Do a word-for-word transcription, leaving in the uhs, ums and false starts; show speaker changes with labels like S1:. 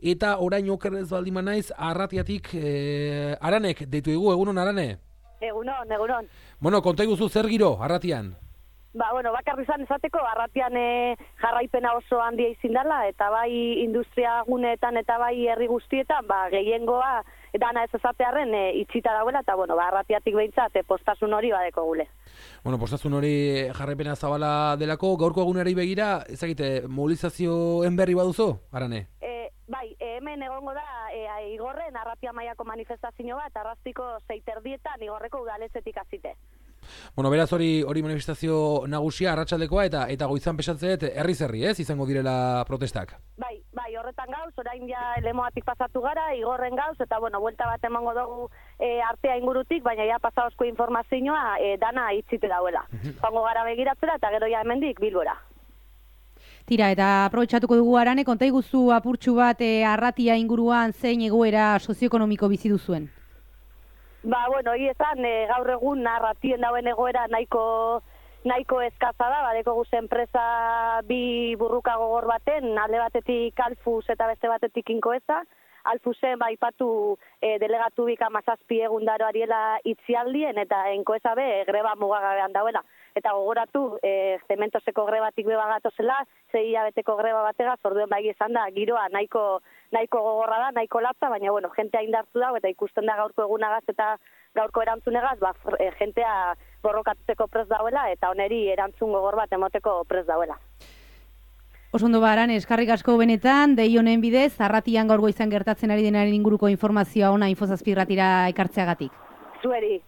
S1: Eta orain okerrez baldima naiz, Arratiatik e, Aranek deitu dugu, egunon Arane?
S2: Egunon, egunon.
S1: Bueno, konta iguzu zer giro, Arratian?
S2: Ba, bueno, bakarri izan esateko, Arratian e, jarraipena oso handia izin dela, eta bai industria guneetan eta bai herri guztietan, ba, gehiengoa dana ez esatearren e, itxita dauela, eta bueno, ba, Arratiatik behintzat e, postasun hori badeko gule.
S1: Bueno, postasun hori jarraipena zabala delako, gaurko egunari begira, ezagite, mobilizazioen berri baduzu, Arane?
S2: E, bai, e, hemen egongo da e, Igorren Arratia mailako manifestazio bat, arrastiko zeiterdietan Igorreko udaletxetik hasite.
S1: Bueno, beraz hori hori manifestazio nagusia arratsaldekoa eta eta goizan pesatzeet herri zerri, ez? Izango direla protestak.
S2: Bai, bai, horretan gauz, orain ja Lemoatik pasatu gara, Igorren gauz, eta bueno, buelta bat emango dugu e, artea ingurutik, baina ja pasaozko informazioa e, dana itxite dauela. Joango gara begiratzera eta gero ja hemendik Bilbora.
S3: Tira, eta aprobetxatuko dugu Arane, konta iguzu apurtxu bat e, Arratia inguruan zein egoera sozioekonomiko bizi duzuen?
S2: Ba, bueno, hori esan, e, gaur egun Arratien dauen egoera nahiko nahiko eskaza da, badeko guz enpresa bi burruka gogor baten, alde batetik Alfus eta beste batetik Inkoeza. Alfusen baipatu e, delegatu bik amazazpi egundaro ariela itzialdien eta Inkoeza be greba mugagabean dauela. Eta gogoratu, e, zementoseko grebatik beba gatozela, zei hilabeteko greba bategaz, orduen bai izan da, giroa nahiko nahiko gogorra da, nahiko latza, baina bueno, jentea indartu dago eta ikusten da gaurko egunagaz eta gaurko erantzunegaz, ba, e, jentea borrokatuteko prez dauela eta oneri erantzun gogor bat emoteko prez dauela.
S3: Osondo baran, eskarrik asko benetan, dei honen bidez, Arratian gaur goizan gertatzen ari denaren inguruko informazioa ona Infozazpi irratira ekartzeagatik.
S2: Zueri.